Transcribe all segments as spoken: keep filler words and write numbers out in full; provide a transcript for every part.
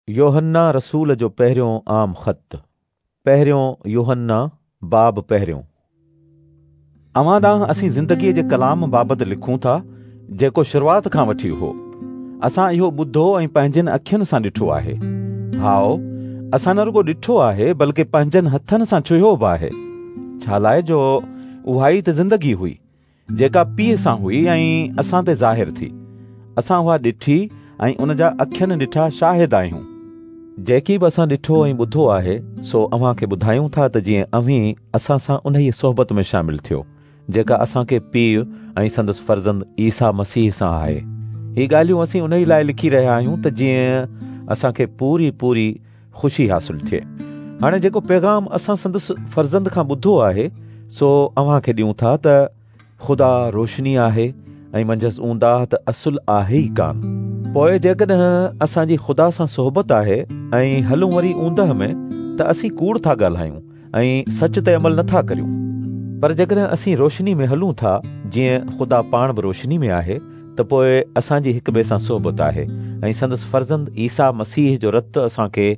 يوحنا رسول جو پهريون عام خط، پهريون يوحنا باب پهريون. اوهان ڏانهن اسين زندگيء جي ڪلام بابت لکون ٿا، جيڪو شروعات کان وٺي هو. اسان اهو ٻڌو ۽ پنهنجين اکين سان ڏٺو آهي. هائو، اسان نه رڳو ڏٺو آهي بلڪه پنهنجن هٿن سان ڇهيو به آهي. ڇا لاءِ جو اها ئي ته زندگي هئي جيڪا پيءُ سان هئي ۽ اسان تي ظاهر ٿي. اسان اها ڏٺي ۽ ان جا اکين ڏٺا شاهد آهيون. جيڪي به اسان ڏٺو ۽ ٻڌو آهي سو اوهان کي ٻڌايون ٿا ته جيئن اوهين اسان سان انهيء صحبت ۾ شامل ٿيو جيڪا اسان کي پيءُ ۽ سندس فرزند عيسيٰ مسيح سان آهي. هي ڳالهيون اسين انهيء لاءِ لکي رهيا آهيون ته جيئن اسان کي پوري پوري خوشي حاصل ٿئي. هاڻي جيڪو پيغام اسان سندس فرزند کان ٻڌو آهي سو اوهان کي ڏيون ٿا ته خدا روشني آهي ۽ منجهس اونداهه ته اصل آهي ئي ڪانه. پوءِ جيڪڏهن اسان جي خدا سان صحبت آهي ۽ هلون وري اوندهه ۾ ته اسين ڪوڙ ٿا ڳالهايون ۽ سچ تي عمل نٿا ڪريون. پر جيڪڏهن اسين روشني ۾ هلون ٿا جيئن خدا پاڻ به روشني ۾ آهي ته پوءِ اسان جي هڪ ٻئي سان صحبت آهي ۽ سندس فرزند عيسيٰ مسيح جو رت اسان کي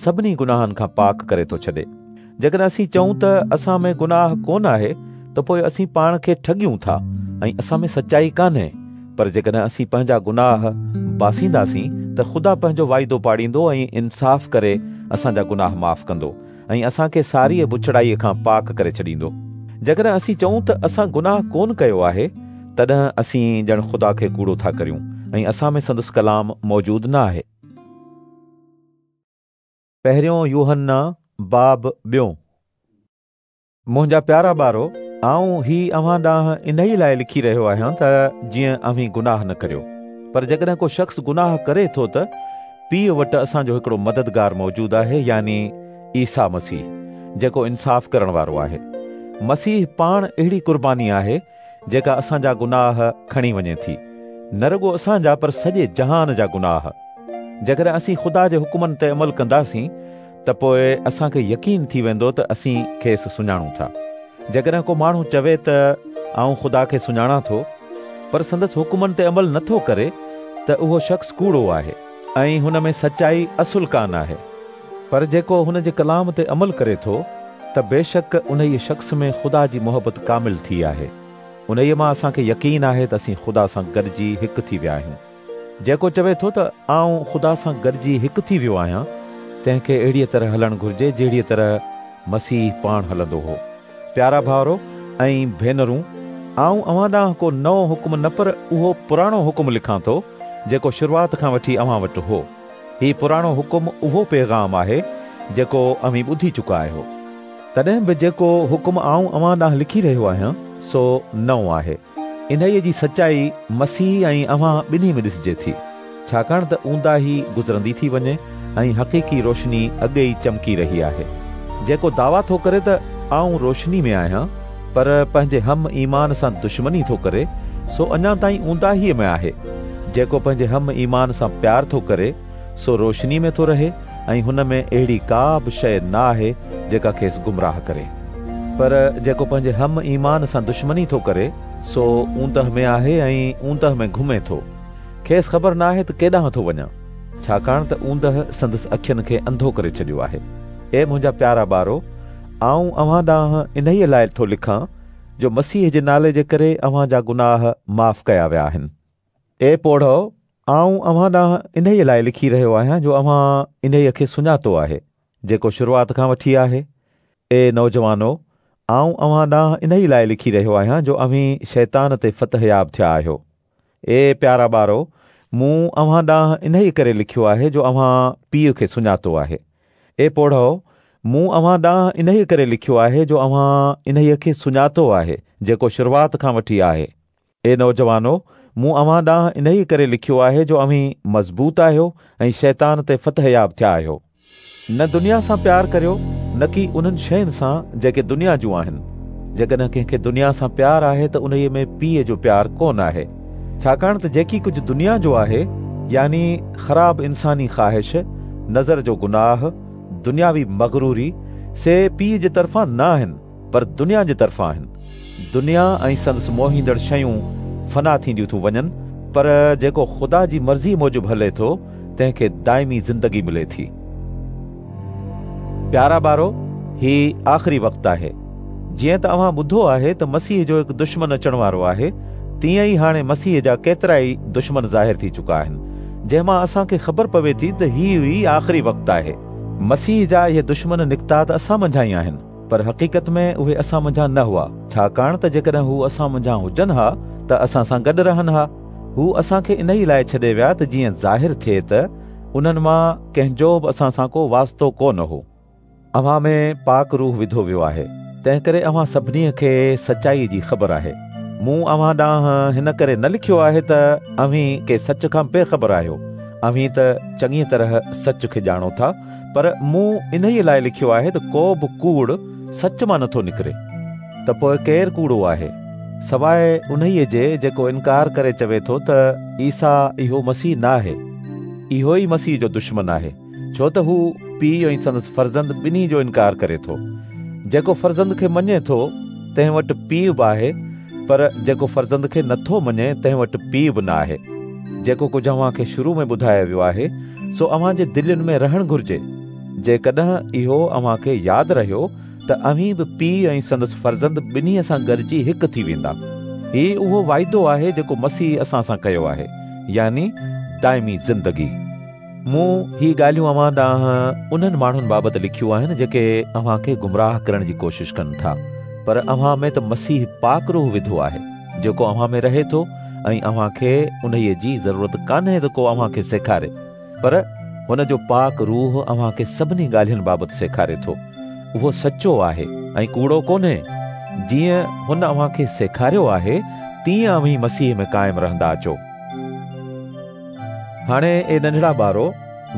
سڀني گناهن کان پاڪ ڪري ٿو ڇڏي. جيڪڏهن اسين چئون ته اسان ۾ گناهه ڪونه آهي ته پوءِ اسين پاڻ کي ٺڳيون ٿا ۽ اسان ۾ سچائي ڪانهي. پر جيڪڏهن اسين پنهنجا گناهه باسينداسين ته خدا پنهنجو واعدو پاڙيندو ۽ انصاف ڪري اسان جا گناهه معاف ڪندو ۽ اسان کي ساريءَ بڇڙائيءَ کان پاڪ ڪري ڇڏيندو. جيڪڏهن اسين چئون ته اسان گناهه ڪونه ڪيو آهي تڏهن اسين ڄڻ خدا کي ڪوڙو ٿا ڪريون ۽ اسان ۾ سندس ڪلام موجود نه آهي. پهريون يوحنا باب ٻيون. منهنجا پيارا ٻارو، آئون هي اوهان ڏانهن انهيءَ لاءِ لکي رهيو آهيان ته جيئن اوهين گناهه نه ڪريو. پر جيڪڏهن ڪو شخص گناهه ڪري ٿو ته پيءُ وٽ اسان جو هڪڙو مددگار موجود آهي، يعني عيسيٰ مسيح، جيڪو انصاف ڪرڻ وارو آهي. مسيح پاڻ اهڙي قرباني آهي جيڪا اسان جا گناهه کڻي وڃي ٿي، نه رڳو اسان جا پر سڄي جهان جا گناهه. جيڪڏهن اسين خدا جي حڪمن تي عمل ڪنداسين ته پوءِ اسان کي يقين ٿي ويندو ته اسين کيس سڃاڻون ٿا. جيڪڏهن ڪو ماڻهو چوي ته آئون خدا کي سڃاڻان ٿو پر سندس حڪمن تي عمل نٿو ڪري ته اهو شخص ڪوڙو آهي ۽ هن ۾ سچائي اصل ڪانه آهي. پر جيڪو هن جي ڪلام تي عمل ڪري ٿو ته بيشڪ انهيءَ شخص ۾ خدا جي محبت ڪامل ٿي آهي. انهيءَ مان اسان کي يقين آهي ته اسين خدا سان گڏجي هڪ ٿي ويا آهيون. جيڪو چوي ٿو ته آئون خدا سان گڏجي هڪ ٿي ويو آهيان تنهن کي اهڙيءَ طرح هلڻ گهرجي جهڙيءَ طرح مسيح پاڻ هلندو هو. پيارا ڀائرو ۽ ڀينرون، آئون اوهان ڏانهن ڪو نئون حڪم نه پر اهو پراڻو حڪم لکان ٿو جيڪو شروعات کان وٺي اوهان وٽ هو. هي پراڻو حڪم اهو پيغام آهي جيڪو اوهين ٻڌي چڪا آهيو. تڏهن به جيڪو حڪم آئون اوهان ڏانهن لکي رهيو آهيان سو نئون آهي. انهيءَ جي سچائي مسيح ۽ اوهان ٻنهي ۾ ڏسجي ٿي، ڇاڪاڻ ته اونداهي گذرندي ٿي وڃي ۽ حقيقي روشني اڳي ئي چمڪي رهي آهي. جيڪو دعويٰ ٿو ڪري ته آئون روشني ۾ آهيان پر پنهنجي هم ايمان سان دشمني ٿو ڪري سو اڃا تائين اونداهيءَ ۾ آهي. جيڪو پنهنجي هم ايمان سان پيار ٿو ڪري سو روشني ۾ ٿو رهي ۽ هن ۾ اهڙي ڪا به شيءِ نه آهي جيڪا کيس گمراهه ڪري. پر جيڪو پنهنجي هم ايمان سان دشمني ٿو ڪري سو اوندهه ۾ آهي ۽ اوندهه ۾ گهمي ٿو. کيس خبر نه آهي ته ڪيڏانهن ٿو وڃان، ڇاڪاڻ ته اوندهه سندس اکين کي انڌو ڪري ڇڏيو آهي. اي منهنجا پيارا ٻارو، آئون اوهان ڏانهن انهيءَ لاءِ ٿو لکان جو مسيح جي نالي جي ڪري اوهان جا گناهه معاف ڪيا ويا آهن. اي پوڙهو، آئون اوهان ڏانهن انهيءَ لاءِ لکي رهيو آهيان جو اوهان انهيءَ کي سڃاتو آهي جيڪو شروعات کان وٺي آهي. اي نوجوانو، آئون اوهان ڏانهن انهيءَ لاءِ لکي رهيو آهيان جو اوهين شيطان تي فتحياب ٿيا آهيو. اي پيارا ٻارو، مون اوهان ڏانهن انهيءَ ڪري لکيو آهي جو اوهان پيءُ کي سڃاتو آهي. اي پوڙهو، مون اوهان ڏانهن انهيءَ ڪري لکيو آهي جو اوهان انهيءَ کي سڃاتو آهي جيڪو شروعات کان وٺي آهي. اي نوجوانو، مون اوهان ڏانهن انهيءَ ڪري لکيو آهي جو اوهين مضبوط آهيو ۽ شيطان تي فتحياب ٿيا آهيو. نه دنيا سان پيار ڪريو نه ڪي انهن شين سان جيڪي دنيا جون آهن. جيڪڏهن ڪنهن کي دنيا سان پيار آهي ته انهيءَ ۾ پيءُ جو پيار ڪونه آهي. ڇاڪاڻ ته جيڪي ڪجهه دنيا جو آهي، يعني خراب انساني خواهش، نظر جو گناهه، دنياوي مغروري، سي پيءُ جي طرفان نه آهن پر دنيا جي طرفان آهن. دنيا ۽ سندس موهيندڙ شيون فنا ٿينديون ٿيون وڃن، پر جيڪو خدا جي مرضي موجب هلي ٿو تنهن کي دائمي زندگي ملي ٿي. پيارا ٻارو، هي آخري وقت آهي. جيئن ته اوهان ٻڌو آهي ته مسيح جو هڪ دشمن اچڻ وارو آهي، تيئن ئي هاڻي مسيح جا ڪيترا ئي دشمن ظاهر ٿي چڪا آهن، جنهن مان اسان کي خبر پوي ٿي ته هي ئي آخري وقت آهي. مسيح جا اهي دشمن نڪتا ته اسان منجهان ئي آهن، پر حقيقت ۾ اهي اسان منجهان نه هئا، ڇاڪاڻ ته جيڪڏهن هو اسان منجهان هجن ها ته اسان سان گڏ رهن ها. هو اسان کي انهي لاءِ ڇڏي ويا ته جيئن ظاهر ٿئي ته انهن مان ڪنهن جو به اسان سان ڪو واسطو ڪونه هو. اوهان ۾ پاڪ روح وڌو ويو آهي، تنهن ڪري اوهان سڀني کي سچائي جي خبر آهي. مون اوهان ڏانهن هن ڪري نه لکيو آهي ته اوهين ڪي سچ کان بيخبر آهيو، اوهين ته چڱيءَ طرح سچ کي ڄاڻو ٿا، پر مون انهيءَ لاءِ لکيو آهي ته ڪو به ڪوڙ سچ مان نٿو نڪري. ته پوءِ ڪير ڪوڙو آهي سواءِ انهيءَ جي جيڪو انڪار ڪري چوي ٿو ته عيسيٰ اهو مسيح نه آهي؟ اهو ئي مسيح جو دشمن آهي، ڇو ته هو پيءُ ۽ سندس فرزند ٻنهي جو انڪار ڪري ٿو. جيڪو فرزند کي مڃي ٿو تنهن وٽ پيءُ به آهي، پر جيڪو فرزند کي نٿو مڃي تنهن وٽ پيءُ به نه آهي. جيڪو ڪجهه اوهان کي شروع ۾ ٻڌايو ويو آهي سو اوهان جي دلين ۾ رهڻ گهرجي. جيڪڏهن اهو اوهان کي ياد رهيو ته اوهين به پيءُ ۽ سندس فرزند ٻنهي سان گڏجي هڪ ٿي ويندا. هي اهو واعدو آهي جيڪو مسيح اسان سان ڪيو آهي، يعني دائمي زندگي. مون هي ڳالهيون اوهان ڏانهن انهن ماڻهن بابت لکيون آهن جيڪي اوهان کي گمراهه ڪرڻ جي ڪوشش ڪن ٿا، پر اوهان ۾ ته مسيح پاڪ روح وڌو آهي جيڪو اوهان ۾ رهي ٿو، ۽ اوهان کي انهيءَ جي ضرورت ڪانهي ته ڪو اوهان کي سيکاري، پر هن جو پاڪ روح اوهان کي سڀني ڳالهين بابت سيکاري ٿو. اهو سچو آهي ۽ ڪوڙو ڪونهي. جيئن هن اوهان کي سيکاريو آهي تيئن اوهين مسيح ۾ قائم رهندا اچو. هاڻي اي ننڍڙا ٻارو،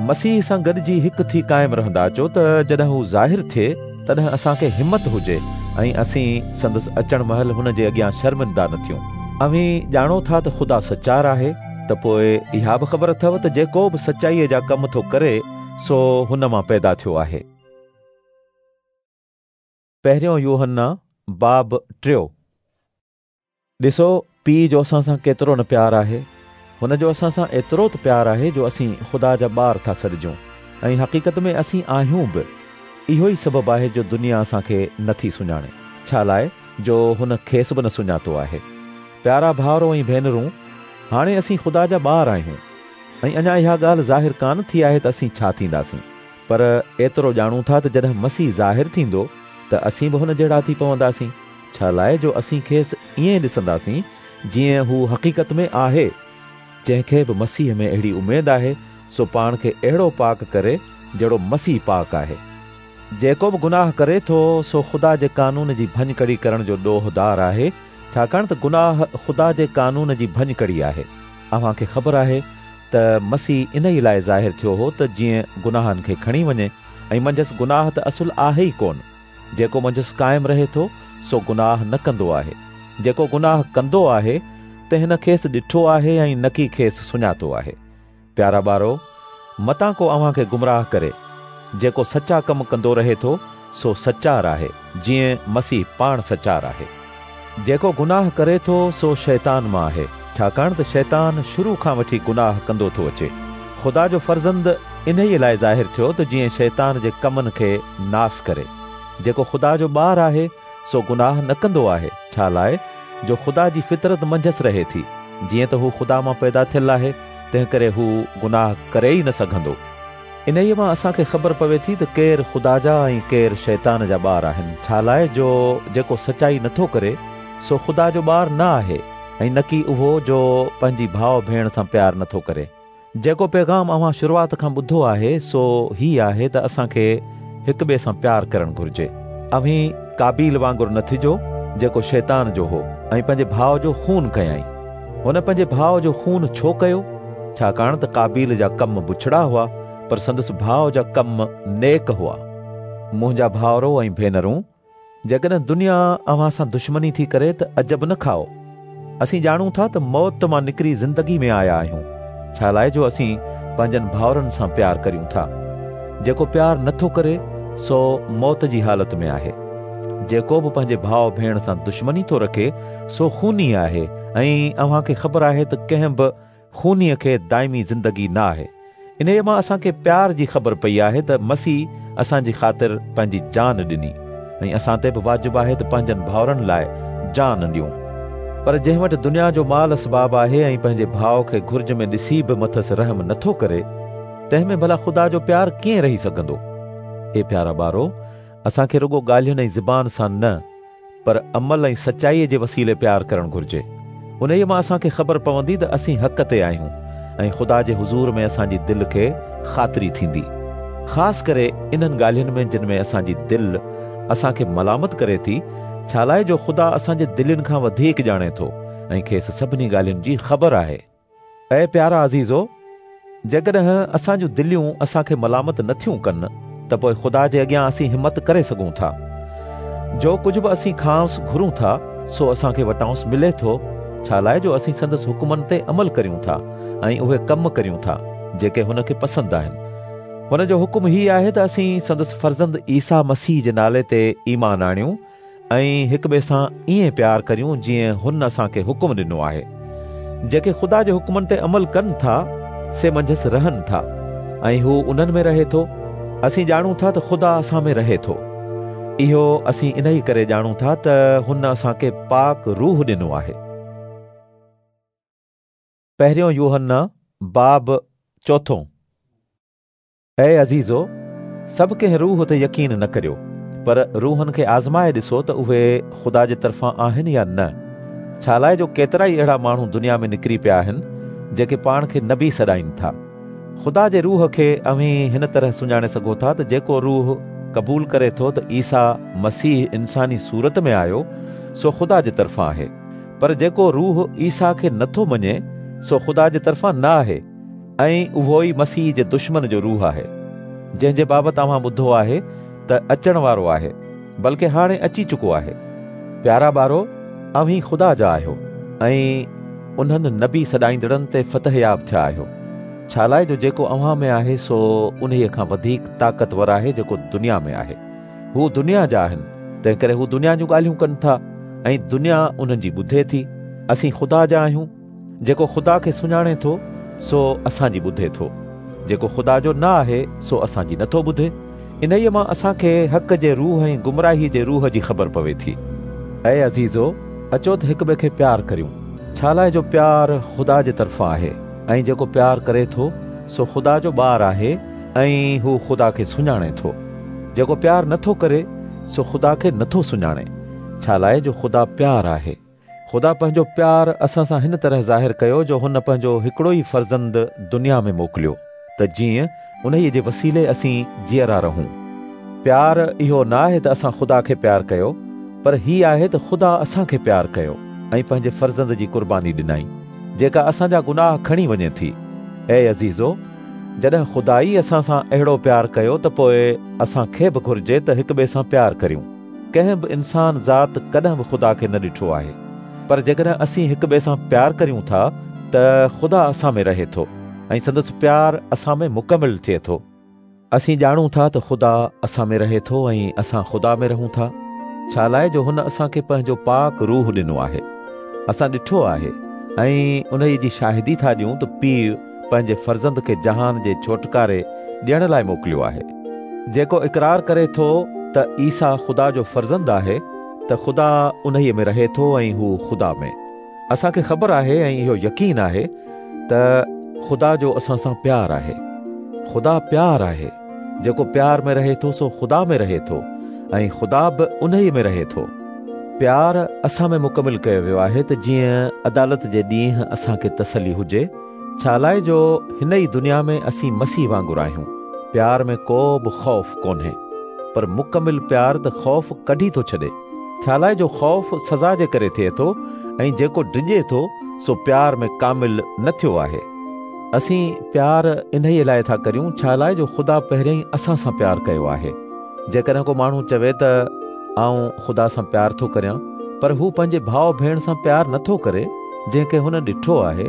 مسيح سان گڏجي هڪ ٿي قائم رهندا اچو ته جڏهن هو ظاهر ٿئي تڏهن اسان کي همت هجي ۽ اسين سندس اچڻ مهل هن جي اڳيان شرمندا نه ٿيون. اوهين ڄاڻو ٿا ته خدا سچار آهي، ته پوءِ اها به خبر اٿو ته جيڪو به سچائيءَ جا ڪم ٿو ڪري سو هن مان پيدا ٿيو آهي. پهريون يوحنا باب ٽيون. ڏسو پيءُ جو اسان سان ڪيترو نه پيار آهي. هن جو اسان سان ايترو ته پيار آهي جو اسين خدا جا ٻار ٿا سڏجون، ۽ حقيقت ۾ اسين آهيون به. اهو ئي سبب آهي جو دنيا اسان کي نٿي سڃاڻي، ڇا لاءِ جو هن کيس به نه سڃاتو آهي. پيارا ڀائرو ۽ ڀينرون، هاڻي اسين خدا جا ٻار آهيون، ۽ اڃا اها ڳالهه ظاهر ڪانه ٿي آهي ته اسين ڇا ٿينداسين، پر ايترو ڄاڻون ٿا ته جڏهن مسيح ظاهر ٿيندو ته اسين به هن جهڙا ٿي پونداسين، ڇا لاءِ جو اسين کيس ائين ڏسنداسين جيئن هو حقيقت ۾ آهي. جنهن کي به مسيح ۾ اهڙي اميد آهي سو پاڻ کي اهڙو پاڪ ڪري جهڙو مسيح پاڪ آهي. جيڪو به گناهه ڪري ٿو سو خدا جي قانون جي ڀڃڪڙي ڪرڻ جو ڏوهدار آهي، ڇاڪاڻ ته گناهه خدا جي قانون جي ڀڃڪڙي آهي. اوهان کي خبر آهي ته مسيح ان ئي لاءِ ظاهر ٿيو هو ته جيئن گناهن کي کڻي وڃي، ۽ منجهس گناهه ته اصل آهي ئي ڪونه. جيڪو منجهس قائم رهي ٿو سو گناهه نه ڪندو آهي. جيڪو گناهه ڪندو آهي تنهن نه کيس ڏٺو آهي ۽ نه ڪي کيس سڃاتو آهي. پيارا ٻارو، متان ڪو اوهان کي گمراهه ڪري. جيڪو سچا ڪم ڪندو رهي ٿو سو سچار آهي، جيئن مسيح پاڻ سچار آهي. جيڪو گناهه ڪري ٿو سو شيطان مان آهي، ڇاڪاڻ ته شيطان شروع کان وٺي گناهه ڪندو ٿو اچي. خدا جو فرزند انهيءَ لاءِ ظاهر ٿيو ته جيئن شيطان جي ڪمن کي ناس ڪري. جيڪو خدا جو ٻار آهي سو گناهه نه ڪندو آهي، ڇا لاءِ جو خدا جي فطرت منجهس رهي ٿي. جيئن ته هو خدا مان پيدا ٿيل آهي تنهن ڪري هو گناهه ڪري ئي نه سگهندو. انهيءَ مان اسان کي خبر پوي ٿي ته ڪير خدا جا ۽ ڪير شيطان جا ٻار آهن، ڇا لاءِ جو جيڪو سچائي نٿو ڪري سو خدا جو ٻار نه آهي، ۽ نه ڪي اهو جو پنهنجي ڀاءُ ڀيڻ سان پيار نٿو ڪري. جيڪو پيغام اوهان شروعات کان ٻڌو آهي سو هي آهي ته اسان کي هڪ ٻئي سان پيار ڪرڻ گهرجي. اوهين قابيل وانگر نه ٿجو جيڪو شيطان جو هو ۽ پنهنجي ڀاءُ جو خون ڪيائين. هن پنهنجي ڀاءُ جو خون ڇو ڪيو؟ ڇاڪاڻ ته قابيل جا ڪم بڇڙا هئا، پر سندس ڀاءُ جا ڪم نيڪ هئا. منهنجا ڀائرو ۽ ڀينرون، جيڪڏهن دنيا اوهان سان دشمني ٿي ڪري ته عجب نه کائو. اسين ڄاڻون ٿا ته موت مان نڪري زندگي ۾ آيا آهيون، ڇا لاءِ جو اسين پنهنجن ڀائرن سان پيار ڪريون ٿا. جيڪو پيار نٿو ڪري سو موت جي حالت ۾ آهي. جيڪو به پنهنجي ڀاءُ ڀيڻ سان دشمني ٿو رکي سو خوني آهي، ۽ اوهان کي خبر آهي ته ڪنهن به خونيءَ کي دائمي زندگي نه آهي. انهيء مان اسان کي پيار جي خبر پئي آهي ته مسيح اسان جي خاطر پنهنجي جان ڏني ۽ اسان تي به واجب آهي ته پنهنجن ڀائرن لاء جان ڏيون. پر جنهن وٽ دنيا جو مال اسباب آهي ۽ پنهنجي ڀاء کي گهرج ۾ ڏسي به مٿس رحم نٿو ڪري، تنهن ۾ ڀلا خدا جو پيار ڪيئن رهي سگهندو؟ اي پيارا ٻارو، اسان کي رڳو ڳالهين ۽ زبان سان نه، پر عمل ۽ سچائيء جي وسيلي پيار ڪرڻ گهرجي. انهيء مان اسان کي خبر پوندي ته اسين حق تي آهيون ۽ خدا جي حضور ۾ اسان جي دل کي خاطري ٿيندي. خاص ڪري انهن ڳالهين ۾ جن ۾ اسان جي دل اسان کي ملامت ڪري ٿي، ڇا لاءِ جو خدا اسان جي دلين کان وڌيڪ ڄاڻي ٿو ۽ کيس سڀني ڳالهين جي خبر آهي. اي پيارا عزيزو، جيڪڏهن اسان جون دليون اسان کي ملامت نٿيون ڪن ته پوءِ خدا جي اڳيان اسين همت ڪري سگهون ٿا. جو ڪجهه به اسين کانئس گهرون ٿا سو اسان کي وٽانئس ملي ٿو، ڇا لاءِ جو اسين سندس حڪمن تي عمل ڪريون ٿا ۽ اهي ڪم ڪريون ٿا جيڪي هن کي پسند آهن. هن جو حڪم هي آهي ته اسين سندس فرزند عيسيٰ مسيح جي نالي تي ايمان آڻيون ۽ هڪ ٻئي سان ائين پيار ڪريون جيئن هن اسان کي حڪم ڏنو آهي. جيڪي خدا جي حڪمن تي عمل ڪن ٿا سي منجهس رهن ٿا ۽ هو انهن ۾ رهي ٿو. اسين ڄاڻون ٿا ته خدا اسان ۾ رهي ٿو. اهو اسين انهي ڪري ڄاڻون ٿا ته هن اسان کي پاڪ روح ڏنو آهي. پهريون يوحنا باب چوٿون. اي عزيزو، سڀ ڪنهن روح تي يقين نه ڪريو، پر روحن کي آزمائي ڏسو ته اهي خدا جي طرفان آهن يا نه، ڇا لاءِ جو ڪيترا ئي اهڙا ماڻهو دنيا ۾ نڪري پيا آهن جيڪي پاڻ کي نبي سڏائين ٿا. خدا جي روح کي اوهين هن طرح سڃاڻي سگهو ٿا ته جيڪو روح قبول ڪري ٿو ته عيسيٰ مسيح انساني صورت ۾ آيو سو خدا جي طرفان آهي، پر جيڪو روح عيسيٰ کي نٿو مڃي سو خدا جي طرفان نه آهي، ۽ اهو ئي مسيح جي دشمن جو روح آهي، جنهن جي بابت اوهان ٻڌو آهي ته اچڻ وارو آهي، بلڪه هاڻي اچي چڪو آهي. پيارا ٻارو، اوهين خدا جا آهيو ۽ انهن نبي سڏائيندڙن تي فتحياب ٿيا آهيو، ڇا لاءِ جو جيڪو اوهان ۾ آهي سو انهيءَ کان وڌيڪ طاقتور آهي جيڪو دنيا ۾ آهي. هو دنيا جا آهن، تنهن ڪري هو دنيا جون ڳالهيون ڪن ٿا ۽ دنيا انهن جي ٻڌي ٿي. اسين خدا جا آهيون. جيڪو خدا کي سڃاڻي ٿو سو اسان جي ٻڌي ٿو، جيڪو خدا جو نه آهي سو اسان جي نٿو ٻڌي. انهيءَ مان اسان کي حق جي روح ۽ گمراهي جي روح جي خبر پوي ٿي. اي عزيزو، اچو ته هڪ ٻئي کي پيار ڪريون، ڇا لاءِ جو پيار خدا جي طرفان آهي ۽ جيڪو پيار ڪري ٿو سو خدا جو ٻار آهي ۽ هو خدا کي سڃاڻي ٿو. جيڪو پيار نٿو ڪري سو خدا کي نٿو سڃاڻي، ڇا لاءِ جو خدا پيار آهي. خدا پنهنجو پيار اسان سان هن طرح ظاهر ڪيو جو هن پنهنجو هڪڙو ئي فرزند دنيا ۾ موڪليو ته جيئن انهيءَ جي وسيلي اسين جيئرا رهون. پيار اهو نه آهي ته اسان خدا کي پيار ڪيو، پر هي آهي ته خدا اسان کي پيار ڪيو ۽ پنهنجي فرزند جي قرباني ڏنائين، جيڪا اسان جا گناهه کڻي وڃي ٿي. اي عزيزو، جڏهن خدا ئي اسان سان اهڙو پيار ڪيو ته پوءِ اسان کي به گهرجي ته هڪ ٻئي سان پيار ڪريون. ڪنهن به انسان ذات ڪڏهن به خدا کي نه ڏٺو آهي، پر جيڪڏهن اسين هڪ ٻئي سان پيار ڪريون ٿا ته خدا اسان ۾ رهي ٿو ۽ سندس پيار اسان ۾ مڪمل ٿئي ٿو. اسين ڄاڻون ٿا ته خدا اسان ۾ رهي ٿو ۽ اسان خدا ۾ رهون ٿا، ڇا لاءِ جو هن اسان کي پنهنجو پاڪ روح ڏنو آهي. اسان ڏٺو آهي ۽ انهيءَ جي شاهدي ٿا ڏيون ته پيءُ پنهنجي فرزند کي جهان جي ڇوٽڪاري ڏيڻ لاءِ موڪليو آهي. جيڪو اقرار ڪري ٿو ته عيسيٰ خدا جو فرزند آهي ته خدا انهيءَ ۾ رهي ٿو ۽ هو خدا ۾. اسان کي خبر آهي ۽ اهو يقين آهي ته خدا جو اسان سان پيار آهي. خدا پيار آهي. جيڪو پيار ۾ رهي ٿو سو خدا ۾ رهي ٿو ۽ خدا به انهيءَ ۾ رهي ٿو. پيار اسان ۾ مڪمل ڪيو ويو آهي ته جيئن عدالت جي ڏينهن اسان کي تسلي هجي، ڇا لاءِ جو هن ئي دنيا ۾ اسين مسيح وانگر آهيون. پيار ۾ ڪو به خوف ڪونهي، پر مڪمل پيار ته خوف ڪڍي ٿو ڇڏي، ڇا لاءِ جو خوف سزا جي ڪري ٿئي ٿو ۽ جيڪو ڊڄي ٿو سو پيار ۾ ڪامل نه ٿيو آهي. اسين پيار انهيءَ لاءِ ٿا ڪريون ڇا لاءِ جو خدا پهريائين اسان سان پيار ڪيو آهي. جيڪڏهن ڪو ماڻهو چوي ته آئون خدا سان پيار ٿو ڪريان، پر هو پنهنجي ڀاءُ ڀيڻ سان پيار نٿو ڪري جنهن کي هن ڏٺو آهي،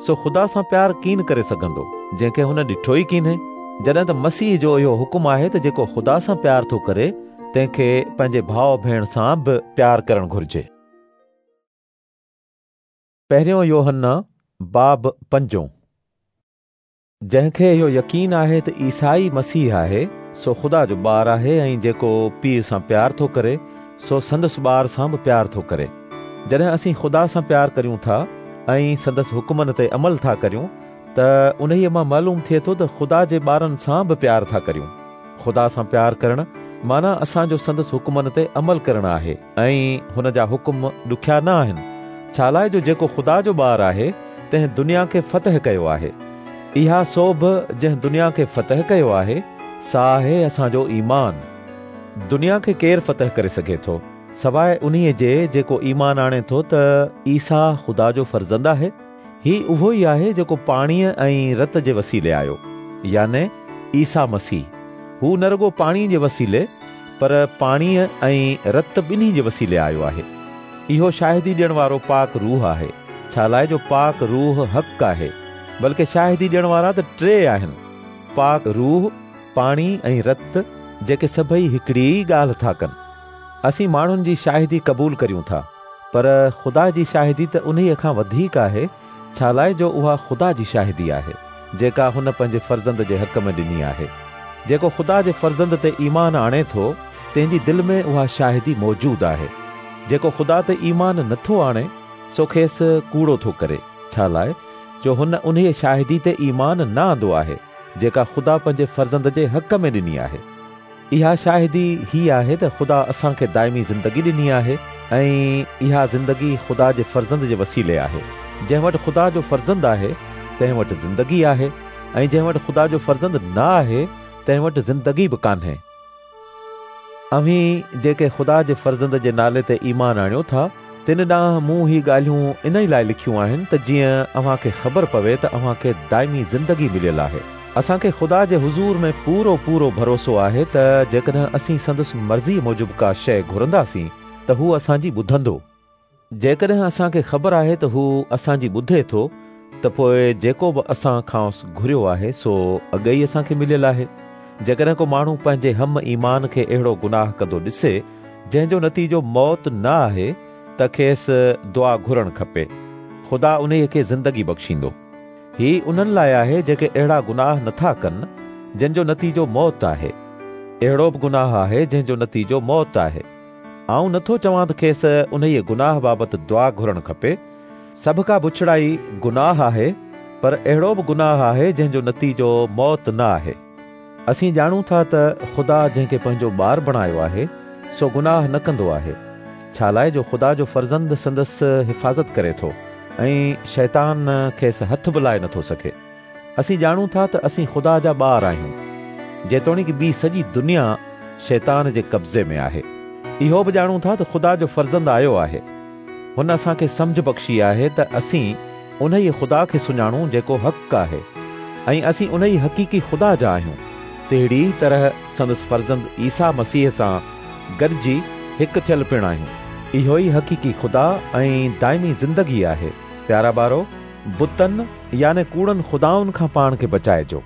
سو خدا سان پيار ڪين ڪري سگهندو جنهن کي هن ڏٺو ئي ڪينهي. جڏهن ته مسيح جو اهو حڪم آهي ته جيڪو خدا سان پيار ٿو ڪري تنهن کي پنهنجي ڀاءُ ڀيڻ سان به پيار ڪرڻ گهرجي. پهريون يوحنا باب پنجون. جنهن کي اهو يقين آهي ته عيسيٰ ئي مسيح آهي، سو خدا جو ٻار آهي ۽ جيڪو پيء سان پيار ٿو ڪري سو سندس ٻار سان به پيار ٿو ڪري. جڏهن اسين خدا سان پيار ڪريون ٿا ۽ سندس حڪمن تي عمل ٿا ڪريون ته انهيء مان معلوم ٿئي ٿو ته خدا جي ٻارن سان به پيار ٿا ڪريون. خدا سان پيار ڪرڻ معنيٰ اسان جو سندس حڪمن تي عمل ڪرڻ آهي ۽ هن جا حڪم ڏکيا نه آهن، ڇا لاءِ جو جيڪو خدا جو ٻار آهي تنهن دنيا کي فتح ڪيو آهي. اها سوڀ جنهن دنيا کي فتح ڪيو آهي سا آهي اسان جو ايمان. دنيا کي ڪير فتح ڪري سگهي ٿو سواءِ انهيء جي جيڪو ايمان آڻي ٿو ته عيسيٰ خدا جو فرزند آهي؟ هي اهو ئي آهي جيڪو پاڻيءَ ۽ رت جي وسيلي آيو، يعني عيسيٰ مسيح. هو نه رڳو پاڻيءَ جي وسيلي پر پاڻيءَ ۽ رت ٻنهي جي وسيلي آيو آهي. اهو شاهدي ڏيڻ وارو پاڪ روح آهي، ڇا لاءِ جو پاڪ روح حق آهي. بلڪه شاهدي ڏيڻ وارا ته ٽي آهن، پاڪ روح، پاڻي ۽ رت، جيڪي سڀئي هڪڙي ئي ڳالهه ٿا ڪن. اسين ماڻهن جي شاهدي قبول ڪريون ٿا، پر خدا جي شاهدي ته انهيءَ کان وڌيڪ آهي، ڇا لاءِ جو اها خدا جي شاهدي آهي جيڪا هن پنهنجي فرزند جي حق ۾ ڏني آهي. جيڪو خدا جي فرزند تي ايمان آڻي ٿو تنهن جي دل ۾ اها شاهدي موجود آهي. جيڪو خدا تي ايمان نٿو آڻي سو کيس ڪوڙو ٿو ڪري، ڇا لاءِ جو هن انهيءَ شاهدي تي ايمان نه آندو آهي جيڪا خدا پنهنجي فرزند جي حق ۾ ڏني آهي. اها شاهدي هي آهي ته خدا اسان کي دائمي زندگي ڏني آهي ۽ اها زندگي خدا جي فرزند جي وسيلي آهي. جنهن وٽ خدا جو فرزند آهي تنهن وٽ زندگي آهي ۽ جنهن وٽ خدا جو فرزند نه آهي تنهن وٽ زندگي به ڪانهي. اوهين جيڪي خدا جي فرزند جي نالي تي ايمان آڻيو ٿا تن ڏانهن مون هي ڳالهيون ان ئي لاءِ لکيون آهن ته جيئن اوهان کي خبر پوي ته اوهان کي دائمي زندگي مليل آهي. اسان کي خدا جي حضور ۾ پورو پورو ڀروسو آهي ته جيڪڏهن اسين سندس مرضيءَ موجب ڪا شيءِ گهرنداسين ته هو اسان جي ٻڌندو. جيڪڏهن اسان کي خبر آهي ته هو اسان جي ٻڌي ٿو ته پوءِ جيڪو به اسان کانئس گهريو آهي سو اڳي ئي اسان کي مليل آهي. جيڪڏهن ڪو ماڻهو پنهنجي هم ايمان کي اهڙو گناهه ڪندو ڏسي جنهن جو نتيجو موت نه آهي ته کيس دعا گهرڻ کپي. خدا انهيءَ کي زندگي بخشيندو. هي انهن لاءِ آهي جيڪي اهڙا گناهه نٿا ڪن جن جو نتيجو موت آهي. اهڙو به گناهه آهي جنهن جو نتيجو موت آهي. آئون نٿو چوان ته کيس انهيءَ گناهه بابت دعا گهرڻ کپي. سڀ ڪا بڇڙائي گناهه آهي، پر اهڙو به گناهه آهي جنهن جو نتيجو موت نه آهي. اسين ڄاڻون ٿا ته خدا جنهن کي پنهنجو ٻار بڻايو آهي سو گناهه نه ڪندو آهي، ڇا لاءِ جو خدا جو فرزند سندس حفاظت ڪري ٿو ۽ شيطان کيس هٿ به لائي نٿو سگهي. اسين ڄاڻون ٿا ته اسين خدا جا ٻار آهيون، جيتوڻيڪ ٻي سڄي دنيا شيطان جي قبضي ۾ آهي. اهو به ڄاڻون ٿا ته خدا جو فرزند آيو آهي. هن اسان کي سمجهه بخشي آهي ته اسين انهيءَ خدا کي سڃاڻون جيڪو حق آهي ۽ اسين انهيءَ حقيقي خدا جا آهيون. تهڙي ئي طرح سندس فرزند عيسيٰ مسيح سان گڏجي هڪ ٿيل پڻ آهيون. اهو ئي حقيقي خدا ۽ دائمي زندگي آهي. پيارا ٻارو، بتن يعني ڪوڙن خدائن کان پاڻ کي بچائجو.